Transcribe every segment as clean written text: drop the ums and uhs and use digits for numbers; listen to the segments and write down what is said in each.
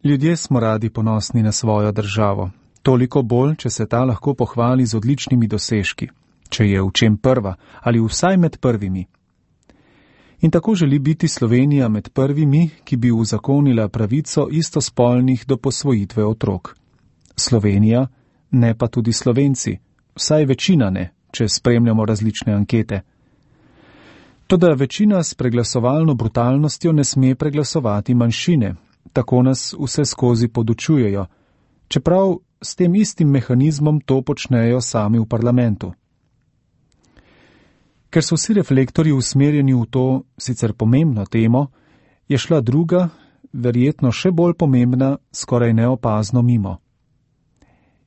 Ljudje smo radi ponosni na svojo državo, toliko bolj, če se ta lahko pohvali z odličnimi dosežki, če je v čem prva ali vsaj med prvimi. In tako želi biti Slovenija med prvimi, ki bi uzakonila pravico istospolnih do posvojitve otrok. Slovenija, ne pa tudi Slovenci, vsaj večina ne, če spremljamo različne ankete. Toda večina s preglasovalno brutalnostjo ne sme preglasovati manjšine, tako nas vse skozi podučujejo, čeprav s tem istim mehanizmom to počnejo sami v parlamentu. Ker so vsi reflektorji usmerjeni v to sicer pomembno temo, je šla druga, verjetno še bolj pomembna, skoraj neopazno mimo.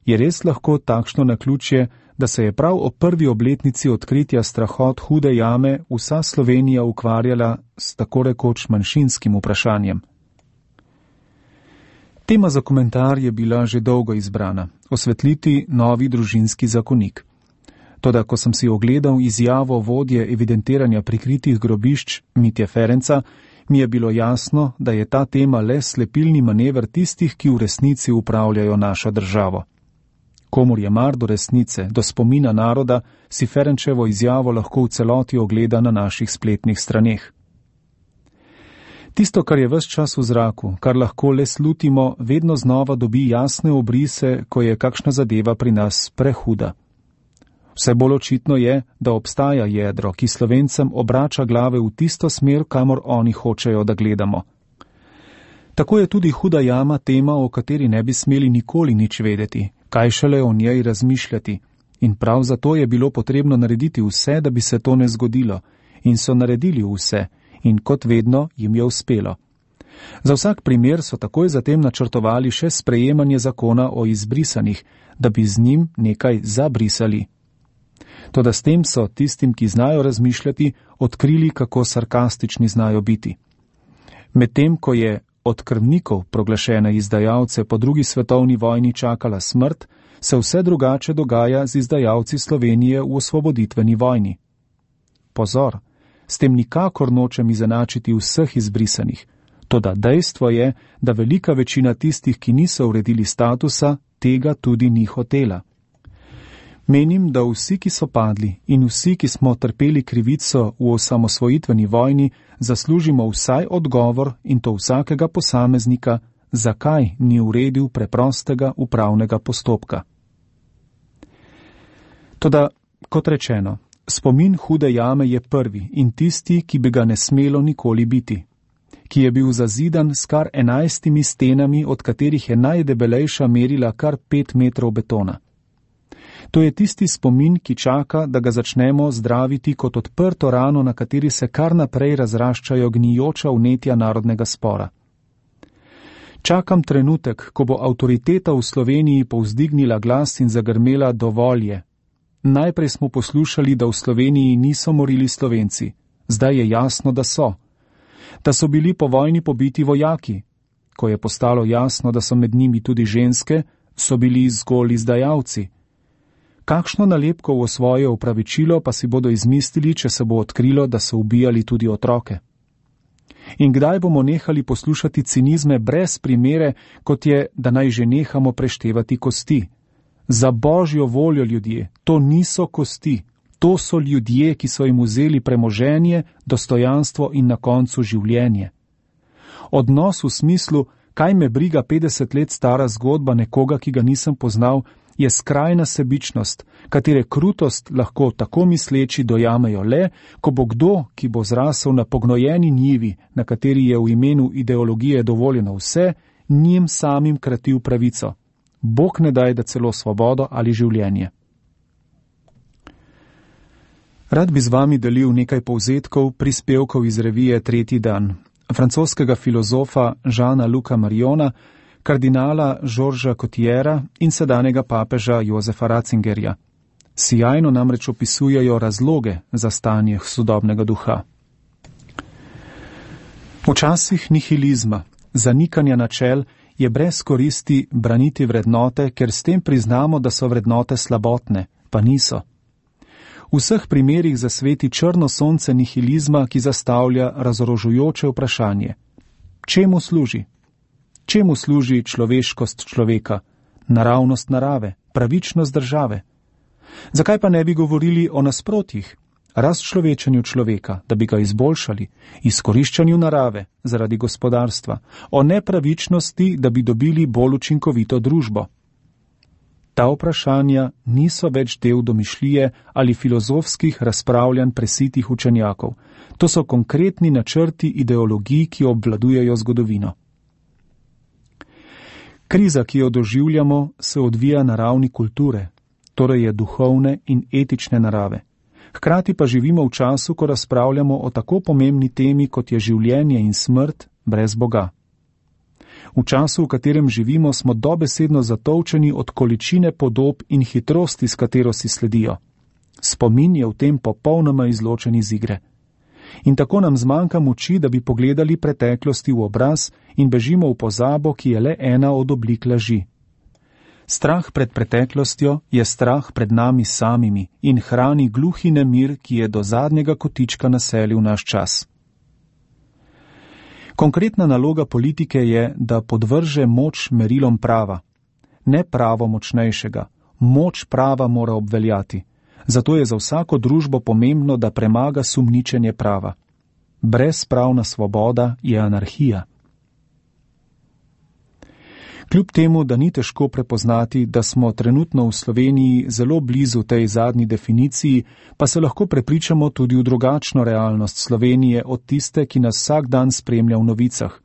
Je res lahko takšno naključje, da se je prav ob prvi obletnici odkritja strahot Hude jame vsa Slovenija ukvarjala s tako rekoč manjšinskim vprašanjem? Tema za komentar je bila že dolgo izbrana, osvetliti novi družinski zakonik. Toda ko sem si ogledal izjavo vodje evidentiranja prikritih grobišč Mitje Ferenca, mi je bilo jasno, da je ta tema le slepilni manever tistih, ki v resnici upravljajo našo državo. Komur je mar do resnice, do spomina naroda, si Ferenčevo izjavo lahko v celoti ogleda na naših spletnih straneh. Tisto, kar je ves čas v zraku, kar lahko le slutimo, vedno znova dobi jasne obrise, ko je kakšna zadeva pri nas prehuda. Vse bolj očitno je, da obstaja jedro, ki Slovencem obrača glave v tisto smer, kamor oni hočejo, da gledamo. Tako je tudi Huda jama tema, o kateri ne bi smeli nikoli nič vedeti, kaj šele o njej razmišljati, in prav zato je bilo potrebno narediti vse, da bi se to ne zgodilo, in so naredili vse, in kot vedno jim je uspelo. Za vsak primer so takoj zatem načrtovali še sprejemanje zakona o izbrisanih, da bi z njim nekaj zabrisali. Toda s tem so tistim, ki znajo razmišljati, odkrili, kako sarkastični znajo biti. Medtem, ko je od krvnikov proglašene izdajalce po drugi svetovni vojni čakala smrt, se vse drugače dogaja z izdajalci Slovenije v osvoboditveni vojni. Pozor, s tem nikakor nočem izenačiti vseh izbrisanih, toda dejstvo je, da velika večina tistih, ki niso uredili statusa, tega tudi ni hotela. Menim, da vsi, ki so padli in vsi, ki smo trpeli krivico v osamosvojitveni vojni, zaslužimo vsaj odgovor in to vsakega posameznika, zakaj ni uredil preprostega upravnega postopka. Toda, kot rečeno, spomin Hude jame je prvi in tisti, ki bi ga ne smelo nikoli biti, ki je bil zazidan s kar 11 stenami, od katerih je najdebelejša merila kar 5 metrov betona. To je tisti spomin, ki čaka, da ga začnemo zdraviti kot odprto rano, na kateri se kar naprej razraščajo gnijoča vnetja narodnega spora. Čakam trenutek, ko bo avtoriteta v Sloveniji povzdignila glas in zagrmela dovolj je. Najprej smo poslušali, da v Sloveniji niso morili Slovenci, zdaj je jasno, da so. Da so bili po vojni pobiti vojaki. Ko je postalo jasno, da so med njimi tudi ženske, so bili zgolj izdajalci. Kakšno nalepko v svoje opravičilo pa si bodo izmislili, če se bo odkrilo, da so ubijali tudi otroke? In kdaj bomo nehali poslušati cinizme brez primere, kot je, da naj že nehamo preštevati kosti? Za božjo voljo, ljudje, to niso kosti, to so ljudje, ki so jim vzeli premoženje, dostojanstvo in na koncu življenje. Odnos v smislu, kaj me briga 50 let stara zgodba nekoga, ki ga nisem poznal, je skrajna sebičnost, katere krutost lahko tako misleči dojamejo le, ko bo kdo, ki bo zrasel na pognojeni njivi, na kateri je v imenu ideologije dovoljeno vse, njim samim kratil pravico. Bog ne daj, da celo svobodo ali življenje. Rad bi z vami delil nekaj povzetkov prispevkov iz revije Tretji dan, francoskega filozofa Jeana Luca Mariona, kardinala Georgesa Cotiera in sedanjega papeža Josefa Ratzingerja. Sijajno namreč opisujejo razloge za stanje sodobnega duha. Včasih nihilizma, zanikanja načel, je brez koristi braniti vrednote, ker s tem priznamo, da so vrednote slabotne, pa niso. V vseh primerih zasveti črno sonce nihilizma, ki zastavlja razorožujoče vprašanje. Čemu služi? Čemu služi človeškost človeka, naravnost narave, pravičnost države? Zakaj pa ne bi govorili o nasprotjih, razčlovečenju človeka, da bi ga izboljšali, izkoriščanju narave zaradi gospodarstva, o nepravičnosti, da bi dobili bolj učinkovito družbo? Ta vprašanja niso več del domišljije ali filozofskih razpravljanj presitih učenjakov. To so konkretni načrti ideologij, ki obvladujejo zgodovino. Kriza, ki jo doživljamo, se odvija na ravni kulture, torej je duhovne in etične narave. Hkrati pa živimo v času, ko razpravljamo o tako pomembni temi, kot je življenje in smrt brez Boga. V času, v katerem živimo, smo dobesedno zatolčeni od količine podob in hitrosti, s katero si sledijo. Spomin je v tem popolnoma izločen iz igre. In tako nam zmanjka moči, da bi pogledali preteklosti v obraz in bežimo v pozabo, ki je le ena od oblik laži. Strah pred preteklostjo je strah pred nami samimi in hrani gluhi nemir, ki je do zadnjega kotička naselil naš čas. Konkretna naloga politike je, da podvrže moč merilom prava. Ne pravo močnejšega, moč prava mora obveljati. Zato je za vsako družbo pomembno, da premaga sumničenje prava. Brezpravna svoboda je anarhija. Kljub temu, da ni težko prepoznati, da smo trenutno v Sloveniji zelo blizu tej zadnji definiciji, pa se lahko prepričamo tudi v drugačno realnost Slovenije od tiste, ki nas vsak dan spremlja v novicah.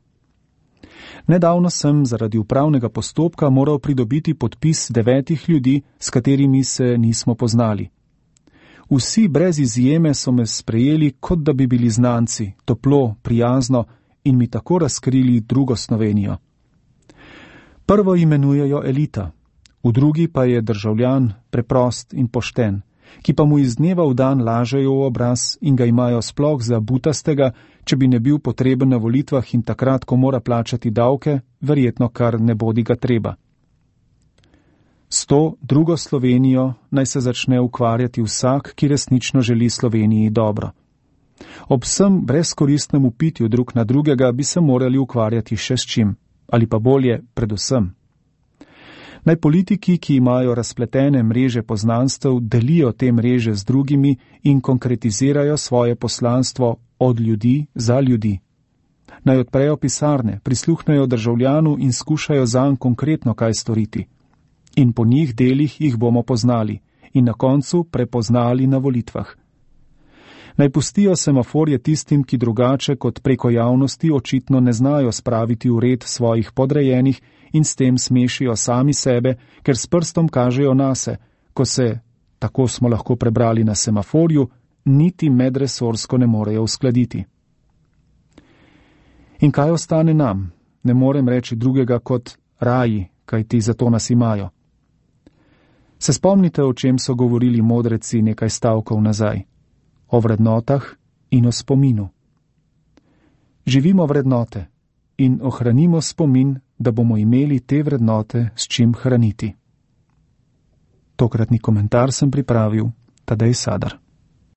Nedavno sem zaradi upravnega postopka moral pridobiti podpis 9 ljudi, s katerimi se nismo poznali. Vsi brez izjeme so me sprejeli, kot da bi bili znanci, toplo, prijazno in mi tako razkrili drugo Slovenijo. Prvo imenujejo elita, v drugi pa je državljan preprost in pošten, ki pa mu iz dneva v dan lažejo v obraz in ga imajo sploh za butastega, če bi ne bil potreben na volitvah in takrat, ko mora plačati davke, verjetno kar ne bodi ga treba. S to drugo Slovenijo naj se začne ukvarjati vsak, ki resnično želi Sloveniji dobro. Ob vsem brezkoristnem upitju drug na drugega bi se morali ukvarjati še s čim, ali pa bolje predvsem. Naj politiki, ki imajo razpletene mreže poznanstev, delijo te mreže z drugimi in konkretizirajo svoje poslanstvo od ljudi za ljudi. Naj odprejo pisarne, prisluhnejo državljanu in skušajo zanj konkretno kaj storiti. In po njih delih jih bomo poznali in na koncu prepoznali na volitvah. Naj pustijo semaforje tistim, ki drugače kot preko javnosti očitno ne znajo spraviti v red svojih podrejenih in s tem smešijo sami sebe, ker s prstom kažejo nase, ko se, tako smo lahko prebrali na semaforju, niti medresorsko ne morejo uskladiti. In kaj ostane nam? Ne morem reči drugega kot raji, kajti zato nas imajo. Se spomnite, o čem so govorili modreci nekaj stavkov nazaj? O vrednotah in o spominu. Živimo vrednote in ohranimo spomin, da bomo imeli te vrednote s čim hraniti. Tokratni komentar sem pripravil Tadej Sadar.